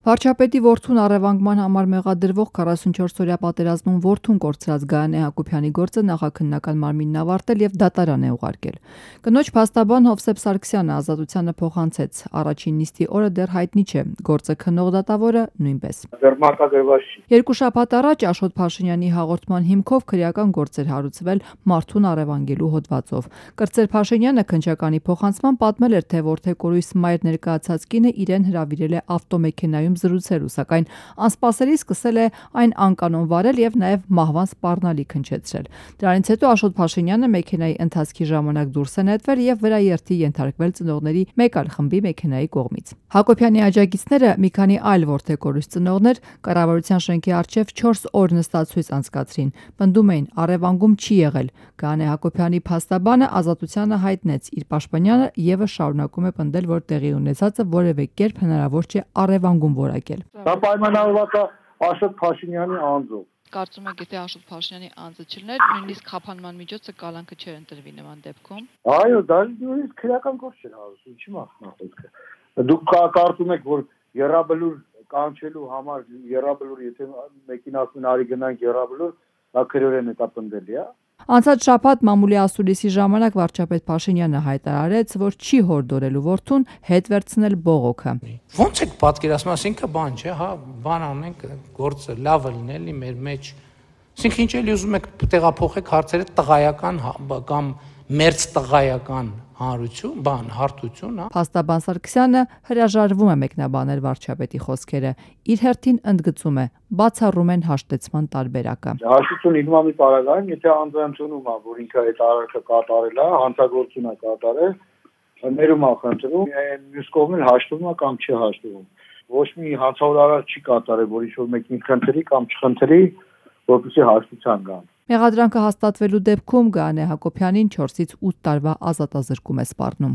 Վարչապետի որդուն առևանգման համար մեղադրվող 44-օրյա պատերազմում որդուն կորցրած Գայանե Հակոբյանի գործը նախաքննական մարմինն ավարտել եւ դատարան է ուղարկել։ Կնոջ փաստաբան Հովսեփ Սարգսյանը ազատությանը փոխանցեց։ Առաջին նիստի օրը դեռ հայտնի չէ, գործը քննող դատավորը նույնպես։ Դեռ մարտագրված չի։ Երկու շաբաթ առաջ Աշոտ Փաշինյանի հաղորդման հիմքով քրեական գործ էր հարուցվել մարդուն առևանգելու հոդվածով։ Կրծեր Փաշինյանը քննչականի փոխանցման պատմել էր, թե որդեկորույս մայր ներկայացած կինը իրեն հրավիրել է ավտոմեքենայում զրուցելու, սակայն անսպասելի սկսել է այն անկանոն վարել եւ նաեւ մահվան սպառնալիք հնչեցրել։ Դրանից հետո Աշոտ Փաշինյանը մեքենայի ընթացքի ժամանակ դուրս է նետվել եւ վրաերթի ենթարկվել ծնողների մեկ այլ խմբի մեքենայի կողմից։ Հակոբյանի աջակիցները մի քանի այլ որդեկորույս ծնողներ կառավարության շենքի առջև 4 օր նստացույց անցկացրին։ Պնդում էին, առևանգում չի եղել։ Գայանե Հակոբյանի փաստաբանը ազատությանը հայտնեց, իր պաշտպանյանը եւս շարունակում է պնդել, որ տեղի ունեցածը որևէ կերպ հնարավոր չէ առևանգում որակել։ Դա պայմանավորված է Աշոտ Փաշինյանի անձով։ Կարծում եք, եթե Աշոտ Փաշինյանի անձը չլիներ, նույնիսկ խափանման միջոցը կալանքը չէր ընտրվի նման դեպքում։ Այո, դա նույնիսկ քրեական գործ չէր հարուցում, չի մասնախոսքը։ Դուք կարծում եք, որ երաբլուր կանչելու համար երաբլուր, եթե մեկին ասում են արի գնանք երաբլուր, դա քրեորեն է տապնդելի, հա։ Անցած շաբաթ մամուլի ասուլիսի ժամանակ վարչապետ Փաշինյանը հայտարարեց, որ չի հորդորելու որդուն հետ վերցնել բողոքը։ Ոնց եք պատկերացնում, ասինքն բան չէ, հա, բան անենք, գործը լավը լինելի մեր մեջ։ Ասինքն ինչ էլի ուզում եք տեղափոխեք հարցերը տղայական կամ մերձ տղայական հանրություն, հարթություն, հա։ Փաստաբան Սարգսյանը հրաժարվում է մեկնաբանել վարչապետի խոսքերը։ Իր հերթին ընդգծում է, բացառում են հաշտեցման տարբերակը։ Հաշտություն լինում է մի պարագայում, եթե անձը ընդունում է, որ ինքը այդ արարքը կատարել է, հանցագործություն է կատարել, ներում է խնդրում, մյուս կողմն հաշտվում է կամ չի հաշտվում։ Ոչ մի հանցավոր արարք չի կատարել, որ ինչ-որ մեկին խնդրի կամ չխնդրի, որպեսզի հաշտության գան։ Մեղադրանքը հաստատվելու դեպքում Գայանե Հակոբյանին 4-ից 8 տարվա ազատազրկում է սպառնում։